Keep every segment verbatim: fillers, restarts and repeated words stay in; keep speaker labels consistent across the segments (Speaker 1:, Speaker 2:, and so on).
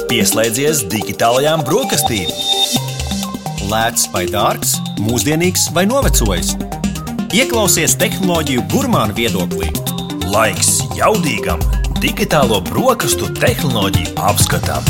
Speaker 1: Pieslēdzies digitālajām brokastīm. Lēts vai dārgs, mūsdienīgs vai novecojis. Ieklausies tehnoloģiju gurmānu viedoklī. Laiks jaudīgam digitālo brokastu tehnoloģiju apskatam.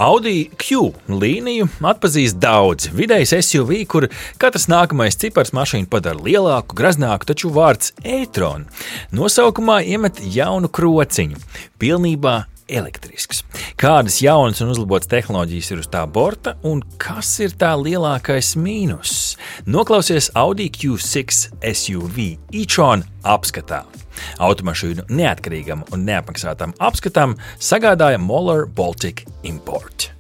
Speaker 2: Audi Q līniju atpazīst daudz. Vidējs S U V, kur katrs nākamais cipars mašīnu padara lielāku, graznāku, taču vārds e-tron nosaukumā iemet jaunu krociņu. Pilnībā elektrisks. Kādas jaunas un uzlabotas tehnoloģijas ir uz tā borta un kas ir tā lielākais mīnus? Noklausies Audi Q šeši S U V e-tron apskatā. Automašīnu neatkarīgam un neapmaksātam apskatam sagādāja Moller Baltic Import.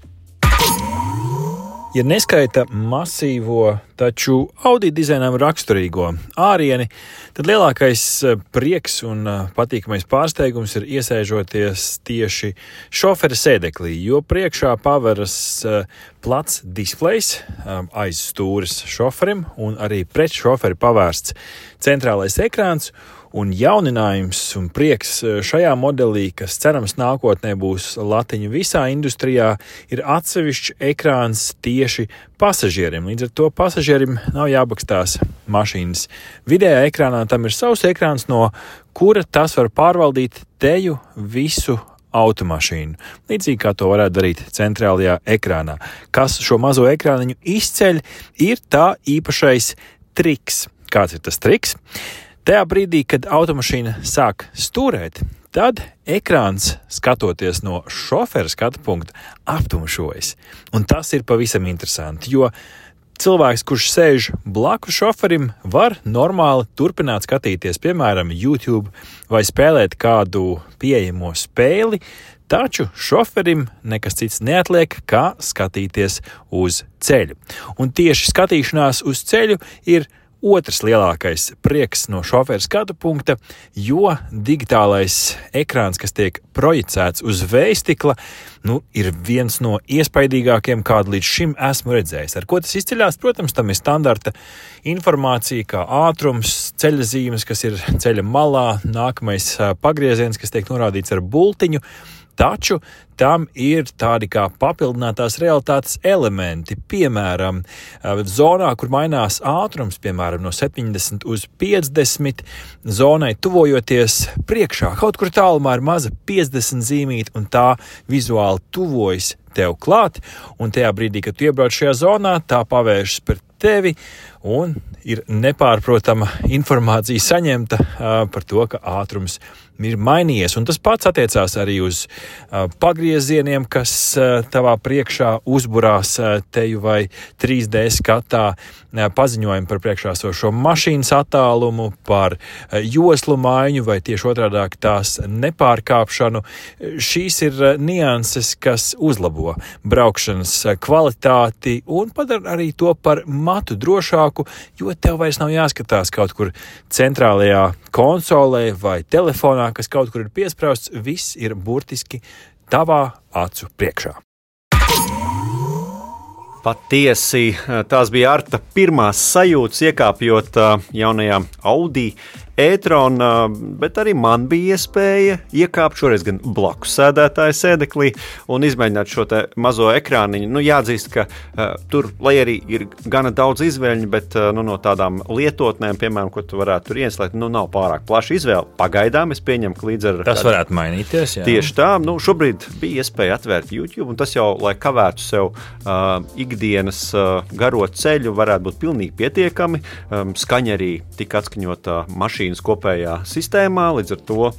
Speaker 2: Ja neskaita masīvo, taču Audi dizainam raksturīgo ārieni, tad lielākais prieks un patīkamais pārsteigums ir iesēžoties tieši šofera sēdeklī, jo priekšā paveras plats displejs aiz stūres šoferim un arī pret šoferi pavērsts centrālais ekrāns. Un jauninājums un prieks šajā modelī, kas cerams nākotnē būs latiņa visā industrijā, ir atsevišķs ekrāns tieši pasažierim. Līdz ar to pasažierim nav jābakstās mašīnas vidējā ekrānā, tam ir savs ekrāns, no kura tas var pārvaldīt teju visu automašīnu. Līdzīgi kā to varētu darīt centrālajā ekrānā. Kas šo mazo ekrāniņu izceļ, ir tā īpašais triks. Kāds ir tas triks? Tajā brīdī, kad automašīna sāk stūrēt, tad ekrāns, skatoties no šofera skatu punkta, aptumšojas. Un tas ir pavisam interesanti, jo cilvēks, kurš sēž blakus šoferim, var normāli turpināt skatīties, piemēram, YouTube vai spēlēt kādu pieejamo spēli, taču šoferim nekas cits neatliek, kā skatīties uz ceļu. Un tieši skatīšanās uz ceļu ir otrs lielākais prieks no šofera skatu punkta, jo digitālais ekrāns, kas tiek projicēts uz vējstikla, nu, ir viens no iespaidīgākiem, kādu līdz šim esmu redzējis. Ar ko tas izceļās? Protams, tam ir standarta informācija, kā ātrums, ceļa zīmes, kas ir ceļa malā, nākamais pagrieziens, kas tiek norādīts ar bultiņu. Taču tam ir tādi kā papildinātās realitātes elementi, piemēram, zonā, kur mainās ātrums, piemēram, no septiņdesmit uz piecdesmit, zonai tuvojoties priekšā. Kaut kur tālumā ir maza piecdesmit zīmīte, un tā vizuāli tuvojas tev klāt, un tajā brīdī, kad tu iebrauc šajā zonā, tā pavēršas par tevi, un ir nepārprotama informācija saņemta uh, par to, ka ātrums ir mainījies. Un tas pats attiecās arī uz uh, pagriezieniem, kas uh, tavā priekšā uzburās uh, teju vai trīs D skatā uh, paziņojumu par priekšāsošo mašīnas attālumu, par uh, joslu maiņu vai tieši otrādāk tās nepārkāpšanu. Šīs ir uh, nianses, kas uzlabo braukšanas uh, kvalitāti un padara arī to par matu drošāku, jo tev vairs nav jāskatās kaut kur centrālajā konsolē vai telefonā, kas kaut kur ir piesprausts, viss ir burtiski tavā acu priekšā.
Speaker 3: Patiesi, tās bija Arta pirmās sajūtas iekāpjot jaunajā Audi e-tron, bet arī man bija iespēja iekāpt šoreiz gan blakus sēdētāja sēdeklī un izmēģināt šo te mazo ekrāniņu. Nu, jāatzīst, ka uh, tur, lai arī ir gana daudz izvēļņu, bet uh, nu, no tādām lietotnēm, piemēram, ko tu varētu tur ieslēgt, nu, nav pārāk plaša izvēle. Pagaidām es pieņemu, ka līdz ar...
Speaker 2: Tas varētu mainīties, jā.
Speaker 3: Tieši tā, nu, šobrīd bija iespēja atvērt YouTube, un tas jau, lai kavētu sev uh, ikdienas uh, garo ceļu, varētu būt pilnīgi pietiekami. Um, skaņa arī tika atskaņota mašīna kopējā sistēmā, līdz ar to uh,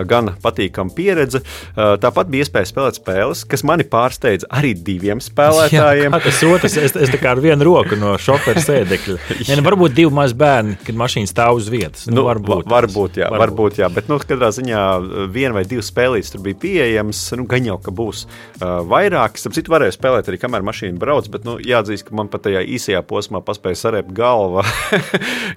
Speaker 3: gan patīkama pieredze. Uh, tāpat bija iespēja spēlēt spēles, kas mani pārsteidza arī diviem spēlētājiem.
Speaker 2: Jā, tas otrs, es, es tā kā ar vienu roku no šofera sēdekļa. Ja, nu, varbūt divi mazi bērni, kad mašīna stāv uz vietas. Nu,
Speaker 3: nu,
Speaker 2: varbūt,
Speaker 3: varbūt, jā,
Speaker 2: varbūt.
Speaker 3: varbūt, jā, bet, nu, katrā ziņā viena vai divas spēlītes tur bija pieejams, nu, gan jau, ka būs uh, vairāk. Starp citu varēju spēlēt arī, kamēr mašīna brauc, bet, nu, jāatzīst, ka man pat tajā īsajā posmā paspēja sarēpt galva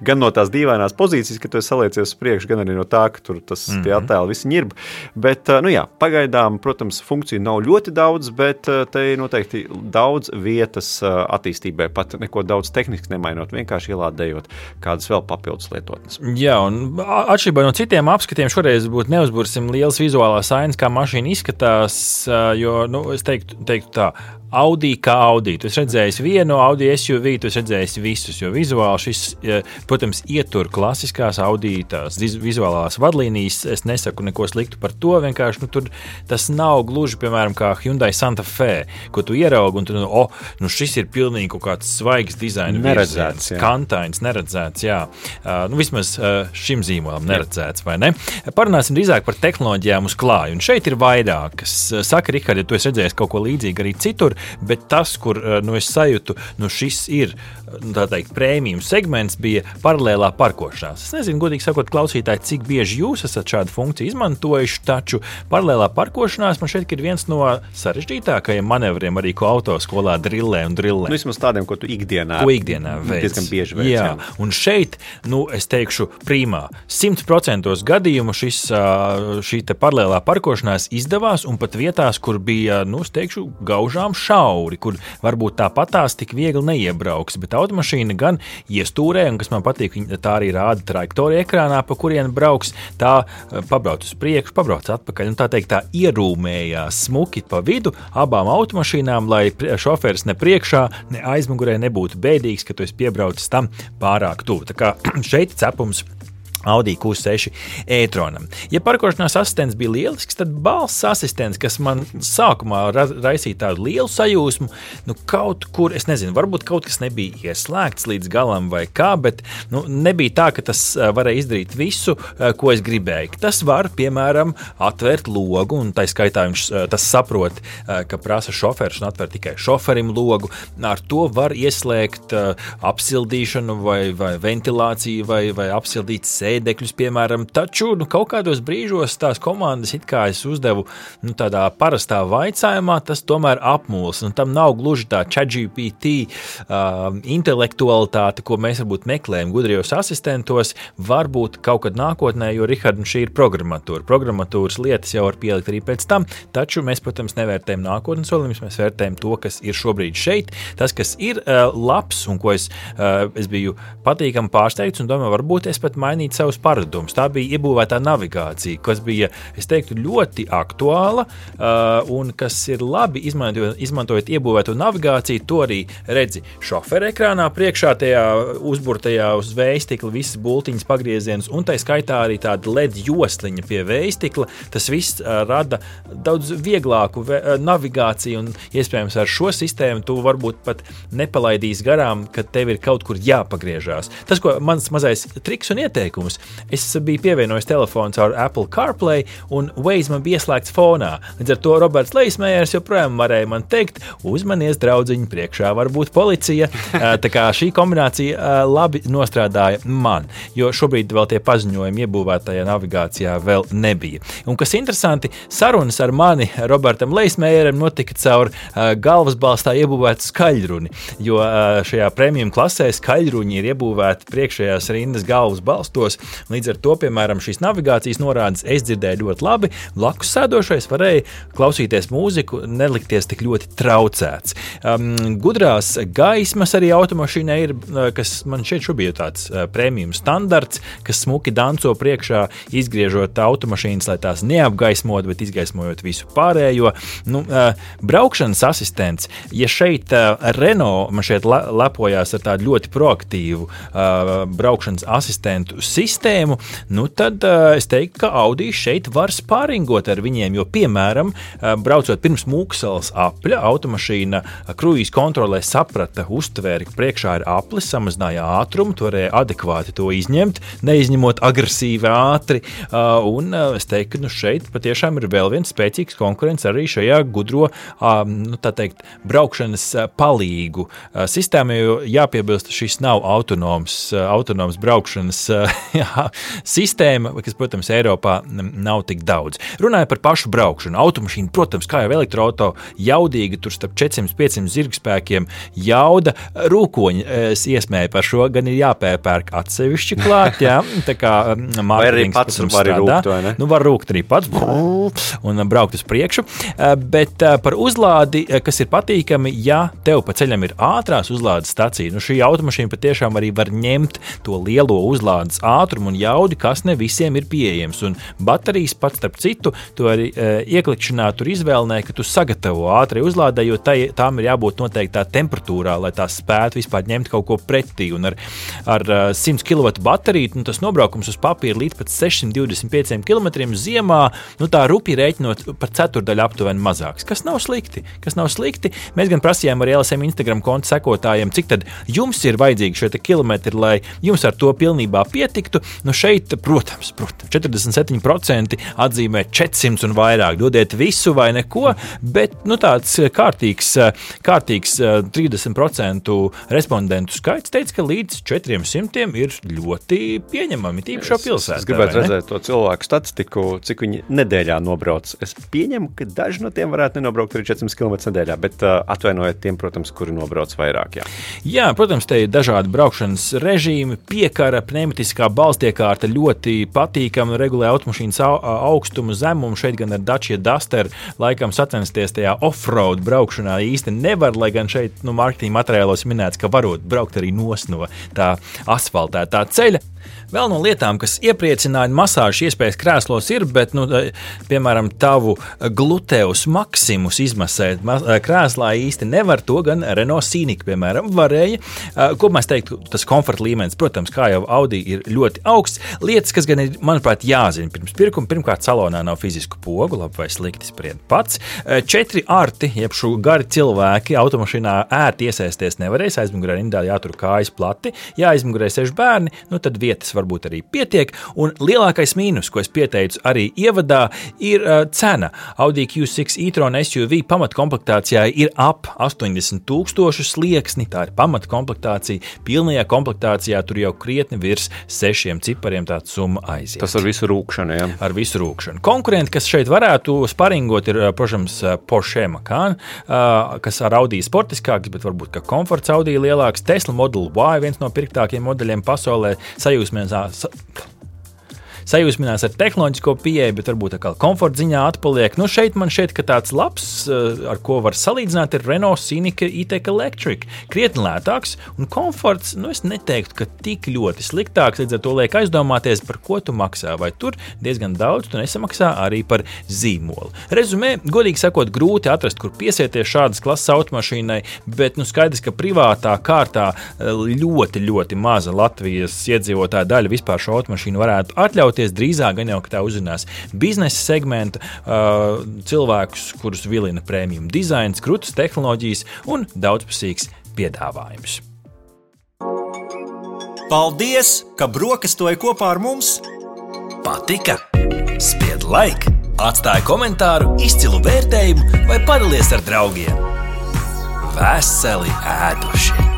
Speaker 3: gan no tās dīvainās pozīcijas, ka tu esi saliecies uz priekšu, gan arī no tā, ka tur tas
Speaker 2: Mhm.
Speaker 3: tie attēli visi ņirb. Bet, nu jā, pagaidām, protams, funkciju nav ļoti daudz, bet te ir noteikti daudz vietas attīstībai, pat neko daudz tehniski nemainot, vienkārši ielādējot kādas vēl papildus lietotnes.
Speaker 2: Jā, un atšķirībā no citiem apskatiem šoreiz būtu neuzbursim liels vizuālās ainas, kā mašīna izskatās, jo, nu, es teiktu, teiktu tā, Audi kā Audi. Tu esi redzējis vienu Audi S U V, tu esi redzējis visus, jo vizuāli šis, protams, ietur klasiskās Audi tās vizuālās vadlīnijas. Es nesaku neko sliktu par to, vienkārši nu, tur tas nav gluži, piemēram, kā Hyundai Santa Fe, ko tu ieraugi un tu, nu, oh, nu šis ir pilnīgi kaut kāds svaigs dizaina
Speaker 3: neredzēts,
Speaker 2: virziens, kantains, neredzēts, jā. Uh, nu, vismaz uh, šim zīmolam neredzēts, vai ne? Parunāsim drīzāk par tehnoloģijām uz klāju. Un šeit ir vairākas. Saka, Rihard, ja tu esi redzējis kaut ko līdzīgu arī citur, bet tas, kur nu, es sajūtu, nu, šis ir tā teikt, prēmijum segments, bija paralēlā parkošanās. Es nezinu, godīgi sakot, klausītāji, cik bieži jūs esat šādu funkciju izmantojuši, taču paralēlā parkošanās man šeit ir viens no sarežģītākajiem manevriem, arī ko autoskolā drillē un drillē.
Speaker 3: Nu, vismaz tādiem, ko tu ikdienā,
Speaker 2: ko ikdienā veic.
Speaker 3: Diezgan bieži veic.
Speaker 2: Jā, jā. Un šeit, nu, es teikšu, primā, simt procentos gadījumu šis, šī te paralēlā parkošanās izdevās, un pat vietās, kur bija, nu, es teikšu, gaužām šauri, kur varbūt tāpatās tik viegli neiebrauks, bet automašīna gan iestūrē, un kas man patīk, tā arī rāda trajektoriju ekrānā, pa kurien brauks, tā pabrauc uz priekšu, pabrauc atpakaļ, un tā teikt, tā ierūmējās smuki pa vidu abām automašīnām, lai šoferis ne priekšā, ne aizmugurē nebūtu bēdīgs, ka tu esi piebraucis tam pārāk tuvu. Tā kā šeit cepums Audi Q seši e-tronam. Ja parkošanās asistents bija lielisks, tad balss asistents, kas man sākumā ra- raisīja tādu lielu sajūsmu, nu kaut kur, es nezinu, varbūt kaut kas nebija ieslēgts līdz galam vai kā, bet nu, nebija tā, ka tas varēja izdarīt visu, ko es gribēju. Tas var, piemēram, atvērt logu, un tā skaitā viņš tas saprot, ka prasa šoferis un atver tikai šoferim logu. Ar to var ieslēgt apsildīšanu vai, vai ventilāciju vai, vai apsildīt sēdi. Dekļus, piemēram, taču nu, kaut kādos brīžos tās komandas, it kā es uzdevu nu, tādā parastā vaicājumā, tas tomēr apmuls, un tam nav gluži tā ChatGPT uh, intelektualitāte, ko mēs varbūt meklējam gudrijos asistentos, varbūt kaut kad nākotnē, jo, Rihard, šī ir programmatūra. Programmatūras lietas jau var pielikt arī pēc tam, taču mēs, protams, nevērtējam nākotnes soliņus, mēs vērtējam to, kas ir šobrīd šeit. Tas, kas ir uh, labs un ko es, uh, es biju patīkami pārsteigts un domāju, varbūt es pat mainītu savus paradumus. Tā bija iebūvētā navigācija, kas bija, es teiktu, ļoti aktuāla uh, un kas ir labi izmantojot, izmantojot iebūvēto navigāciju, to arī redzi šofera ekrānā priekšā tajā uzburtajā uz vējstikla visas bultiņas pagriezienus un tai skaitā arī tāda L E D josliņa pie vējstikla. Tas viss uh, rada daudz vieglāku ve- uh, navigāciju un iespējams ar šo sistēmu tu varbūt pat nepalaidīs garām, kad tev ir kaut kur jāpagriežās. Tas, ko mans mazais triks un ieteikums, es biju pievienojis telefonu caur Apple CarPlay un Waze man bija ieslēgts fonā. Līdz ar to Roberts Leismējers joprojām varēja man teikt, uzmanies draudziņi, priekšā var būt policija. Tā kā šī kombinācija labi nostrādāja man, jo šobrīd vēl tie paziņojumi iebūvētajā navigācijā vēl nebija. Un kas interesanti, sarunas ar mani Robertam Leismējeram notika caur galvasbalstā iebūvētu skaļruni, jo šajā premium klasē skaļruņi ir iebūvēti priekšējās rindas galvas balstos. Līdz ar to, piemēram, šīs navigācijas norādes es dzirdēju ļoti labi, blakus sēdošais varēja klausīties mūziku, nelikties tik ļoti traucēts. Um, gudrās gaismas arī automašīnai ir, kas man šeit šobrīd ir tāds uh, premium standarts, kas smuki danco priekšā, izgriežot automašīnas, lai tās neapgaismot, bet izgaismojot visu pārējo. Nu, uh, braukšanas asistents, ja šeit uh, Renault man šeit le- lepojās ar tādu ļoti proaktīvu uh, braukšanas asistentu sistēmu, nu tad uh, es teiktu, ka Audi šeit var spāringot ar viņiem, jo, piemēram, uh, braucot pirms Mūksalas apļa, automašīna kruīz kontrolē saprata, uztvēri, ka priekšā ir aplis, samazināja ātrumu, tu varēja adekvāti to izņemt, neizņemot agresīvi ātri, uh, un uh, es teiktu, ka nu, šeit patiešām ir vēl viens spēcīgs konkurents arī šajā gudro, uh, nu, tā teikt, braukšanas uh, palīgu uh, sistēmai, jo jāpiebilst, šis nav autonoms, uh, autonoms braukšanas uh, jā, sistēma, kas, protams, Eiropā nav tik daudz. Runāja par pašu braukšanu. Automašīna, protams, kā jau elektroauto, jaudīga, tur starp četrsimt līdz piecsimt zirgspēkiem, jauda, rūkoņi iesmēja par šo, gan ir jāpērpērk atsevišķi klāt, jā, tā kā
Speaker 3: vai arī pats var rūkt, vai ne?
Speaker 2: Nu, var rūkt arī pats un braukt uz priekšu, bet par uzlādi, kas ir patīkami, ja tev pa ceļam ir ātrās uzlādes stacija, nu šī automašīna patiešām arī var ņemt to lielo uzlādes ātrumu un jaudi, kas ne visiem ir pieejams. Un baterijas pats, starp citu, to arī e, ieklikšanā tur izvēlnē, ka tu sagatavo ātrai uzlādē, jo tai, tām ir jābūt noteiktā temperatūrā, lai tās spētu vispār ņemt kaut ko pretī. Un ar, ar simt kilovatu bateriju, nu, tas nobraukums uz papīra līdz pat sešsimt divdesmit pieciem kilometriem ziemā, nu tā rupi rēķinot par ceturdaļu aptuveni mazāks. Kas nav slikti, kas nav slikti. Mēs gan prasījām arī L S M Instagram konta sekotājiem, cik tad jums ir vajadzīgi šie kilometri, lai jums ar to pilnībā pietiktu. Nu šeit, protams, protams, četrdesmit septiņi procenti atzīmē četrsimt un vairāk. Dodiet visu vai neko, bet nu, tāds kārtīgs, kārtīgs trīsdesmit procentu respondentu skaits teica, ka līdz četriem simtiem ir ļoti pieņemami, tīpašā pilsētā.
Speaker 3: Es gribētu redzēt to cilvēku statistiku, cik viņi nedēļā nobrauc. Es pieņemu, ka daži no tiem varētu nenobraukt arī četrsimt kilometrus nedēļā, bet uh, atvainojiet tiem, protams, kuri nobrauc vairāk. Jā.
Speaker 2: Jā, protams, te ir dažādi braukšanas režīmi, piekara, pneumatiskā balstiekārta ļoti patīkama, regulē automašīnas augstumu, zemumu. Šeit gan ar Dacia Duster laikam sacensties tajā off-road braukšanā īsti nevar, lai gan šeit nu, marketinga materiālos minēts, ka varot braukt arī nos no tā asfaltētā ceļa. Vēl no lietām, kas iepriecināja masāžu iespējas krēslos ir, bet, nu, piemēram, tavu gluteus maximus izmasēt krēslā īsti nevar, to gan Renault Scenic, piemēram, varēja. Ko mēs teiktu, tas komforta līmenis, protams, kā jau Audi ir ļoti augsts. Lietas, kas gan ir, manuprāt, jāzina pirms pirkuma. Pirmkārt, salonā nav fizisku pogu, labi vai slikti spried pats. Četri arti, jeb šo gari cilvēki automašīnā ērti iesaisties nevarēs, aizmugurē rindā jātur kājas plati, ja aizmugurē sēž bērni, nu tad vietas varbūt arī pietiek, un lielākais mīnus, ko es pieteicu arī ievadā, ir uh, cena. Audi Q šeši e-tron S U V pamatkomplektācijā ir ap astoņdesmit tūkstošu slieksni, tā ir pamatkomplektācija, pilnajā komplektācijā tur jau krietni virs sešiem cipariem tāda summa aiziet.
Speaker 3: Tas ar visu rūkšanu, jā? Ar
Speaker 2: visu rūkšanu. Konkurenti, kas šeit varētu sparingot, ir, protams, Porsche Macan, uh, kas ar Audi sportiskāks, bet varbūt, ka komforts Audi lielāks, Tesla Model Y, viens no pirktākiem modeļiem pasaulē, sajūsmēs sajūsminās ar tehnoloģisko pieeju, bet varbūt kā komforta ziņā atpaliek. Nu, šeit man šķiet, ka tāds labs, ar ko var salīdzināt, ir Renault Scenic E-Tech Electric. Krietni lētāks un komforts, nu, es neteiktu, ka tik ļoti sliktāks, līdz ar to liek aizdomāties, par ko tu maksā, vai tur diezgan daudz tu nesamaksā arī par zīmolu. Rezumē, godīgi sakot, grūti atrast, kur piesieties šādas klases automašīnai, bet, nu, skaidrs, ka privātā kārtā ļoti, ļoti maza Latvijas iedzīvotāja daļa vispār šo automašīnu varētu atļaut. Drīzāk gan jau, ka tā uzzinās biznesa segmenta uh, cilvēkus, kurus vilina premium dizains, krūtas tehnoloģijas un daudzpusīgs piedāvājums.
Speaker 1: Paldies, ka brokastoji kopā ar mums! Patika? Spied like, atstāj komentāru, izcilu vērtējumu vai padalies ar draugiem. Veseli ēduši!